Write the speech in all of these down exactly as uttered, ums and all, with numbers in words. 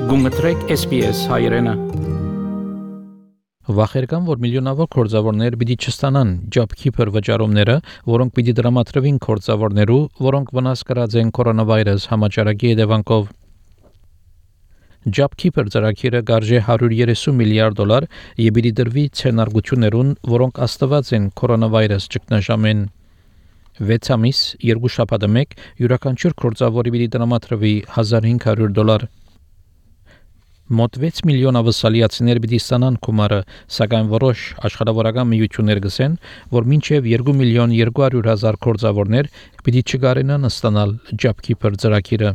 Գումտրեք S B S հայրենը։ Վախերկան, որ միլիոնավոր կորձավորներ պիտի չստանան JobKeeper վճարումները, որոնք պիտի դրամատրվին կորձավորներու, որոնք վնաս կրած են կորոնավիրուս համաճարակի հետևանքով։ JobKeeper ծրագիրը գարժե one hundred thirty միլիարդ դոլար եւ պիտի դրվի ցենարգություններուն, որոնք աստված են կորոնավիրուս ճգնաժամեն։ վեց ամիս, երկու շաբաթը մեկ, յուրաքանչյուր կորձավորի պիտի դրամատրվի one thousand five hundred դոլար։ Մոտ six միլիոն ավասալիացիներ պիտի ստանան գումարը, սակայն որոշ աշխատավորական միություններ գսեն, որ մինչև two միլիոն two hundred հազար կորձավորներ պիտի չգարենան ստանալ JobKeeper ծրագիրը։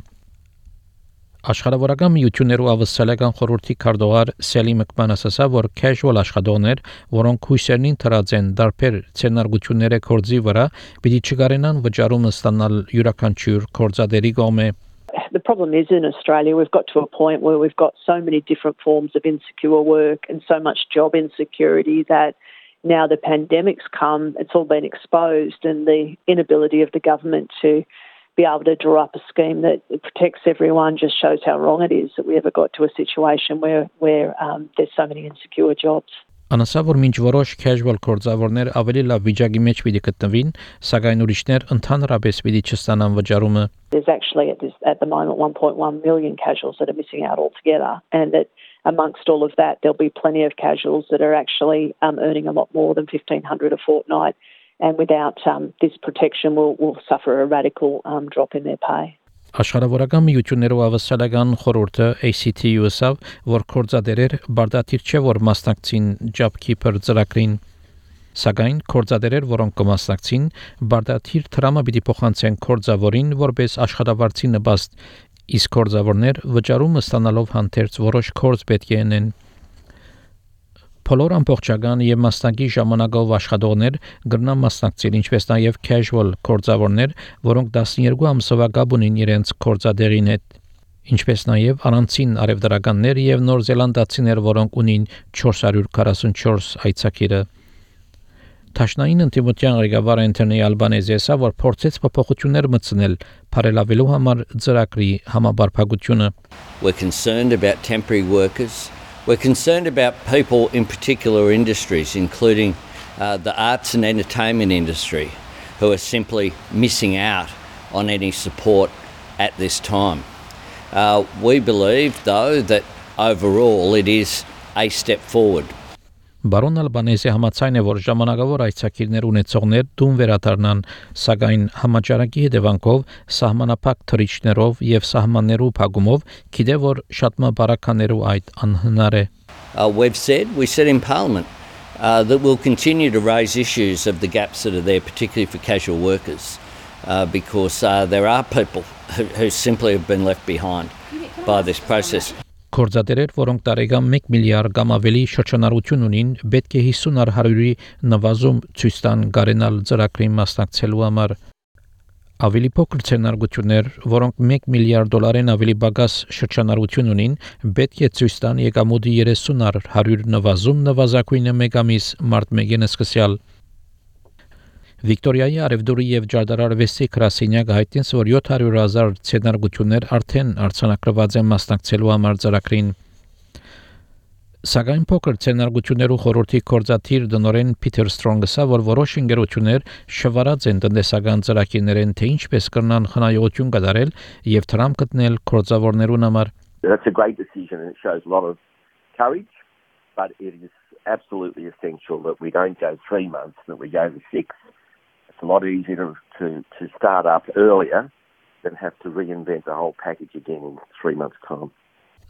Աշխատավորական միություններու ավասալական խորհրդի քարտուղար Սելի Մկման ասացա, որ casual աշխատողներ, որոնք հույսերնին թրած են դարբեր ցենարգությունները կորձի վրա, պիտի չգարենան վճարում ստանալ յուրաքանչյուր կորձադերի կողմէ։ The problem is in Australia we've got to a point where we've got so many different forms of insecure work and so much job insecurity that now the pandemic's come, it's all been exposed, and the inability of the government to be able to draw up a scheme that protects everyone just shows how wrong it is that we ever got to a situation where, where um, there's so many insecure jobs. Անասա որ մինչ որոշ casual կորձավորներ ավելի լավ վիճակի մեջ պիտի գտնվին, սակայն ուրիշներ ընդհանրապես պիտի չստանան վճարումը։ There's actually at, this, at the moment one point one million casuals that are missing out altogether, and that amongst all of that there'll be plenty of casuals that are actually um, earning a lot more than fifteen hundred a fortnight, and without um, this protection will will suffer a radical um, drop in their pay. Աշխարհավորական միություններով ավասալական խորհուրդը A C T U-ով որ կորձադերեր բարդաթիր չէ որ մասնակցին JobKeeper ծրագրին, սակայն կորձադերեր, որոնք կմասնակցին, բարդաթիր դրամը պիտի փոխանցեն կորձավորին որպես աշխատավարձի նպաստ, իսկ կորձավորներ վճարում ստանալով հանդերձ որոշ կորձ պետք է ունեն։ Բոլոր ամբողջական եւ մասնակի ժամանակով աշխատողներ գրնան մասնակցել, ինչպես նաեւ casual կորձավորներ, որոնք twelve ամսովա գաբ ունին իրենց կորձադերին հետ, ինչպես նաեւ առանցին արևդարականներ եւ նոր զելանդացիներ, որոնք ունին four hundred forty-four այցակիրը։ Տաշնային ընտիմության ղեկավար Անթոնի Ալբանեզեսը որ փորձեց փոփոխություններ մտցնել բարելավելու համար ծրագրի համապարփակությունը։ We're concerned about temporary workers. We're concerned about people in particular industries, including uh, the arts and entertainment industry, who are simply missing out on any support at this time. Uh, we believe, though, that overall it is a step forward. Բարոն Ալբանեզը համաձայն է, որ ժամանակավոր այցակիրներ ունեցողներ դուն վերադառնան, սակայն համաճարակի հետևանքով սահմանափակ թռիչքներով եւ սահմաններու փակումով գիտե որ շատ մը բարականերու այդ անհնար է։ Uh, we've said, we said in Parliament uh, that we'll continue to raise issues of the gaps that are there, particularly for casual workers, uh, because uh, there are people who, who simply have been left behind by this process. Կորձադերեր, որոնք տարեկան one միլիարդ կամ ավելի շրջանառություն ունին, պետք է fifty ar one-ի նվազում ցույց տան գարենալ ծրագրին մասնակցելու համար։ Ավելի փոքր ցենարգություններ, որոնք one միլիարդ դոլարեն ավելի բագաս շրջանառություն ունին, պետք է ցույց տան եկամուտի thirty ar one-ը նվազում նվազագույնը մեկ ամիս մարտ մեկին սկսյալ։ Վիկտորիայի արևդուրի եւ Ջարդարարվեստի գրասենյակը հայտնեց, որ seven hundred thousand ցենարգություններ արդեն արձանագրված են մասնակցելու համար ծրագրին։ Սակայն փոքր ցենարգություններու խորհրդի կորձաթիր դնորեն Փիթեր Սթրոնգսը, որ որոշ ընկերություններ շվարած են տնտեսական ծրագիրներեն, թե ինչպես կրնան խնայողություն կատարել եւ դրամ գտնել կորձավորներուն համար։ That's a great decision and it shows a lot of courage, but it is absolutely essential that we don't go three months, that we go to six. It's a lot easier to, to, to start up earlier than have to reinvent the whole package again in three months' time.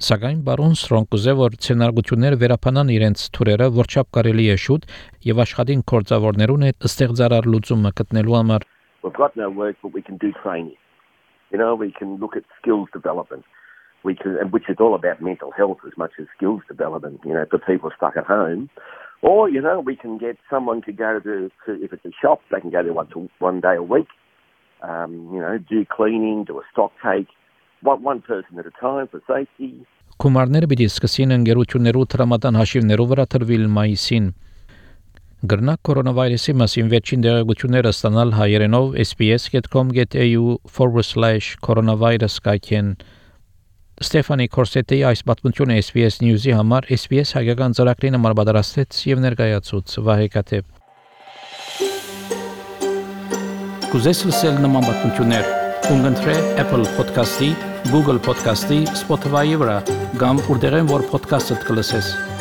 Սակայն բարոն Սթրոնգը որ ցենարգություններ վերապանան իրենց թուրերը, որչափ կարելի է շուտ եւ աշխատին կորձավորներուն հետ ստեղծարար լուծումը գտնելու համար։ We've got no work, but we can do training. You know, we can look at skills development. We can, which is all about mental health as much as skills development, you know, for people stuck at home. Or, you know, we can get someone to go to, to if it's a shop, they can go there one, to, one day a week, um, you know, do cleaning, do a stock take, one, one person at a time for safety. Կումարները պիտի սկսին ընկերություններու տրամադան հաշիվներով վրա տրվել մայիսին։ Գրնակ կորոնավիրուսի մասին վերջին դեղեցությունները ստանալ հայերենով S B S dot com dot A U forward slash coronavirus կայքեն։ Ստեֆանի Կորսետի այս պատմությունը S B S News-ի համար S B S հայկական ծրագրին համար պատրաստեց եւ ներկայացուց Վահե Կաթեփ։ Կուզես լսել նման պատմություններ, կընտրե Apple Podcast-ի, Google Podcast-ի, Spotify-ի վրա, կամ որտեղեն որ podcast-ը կլսես։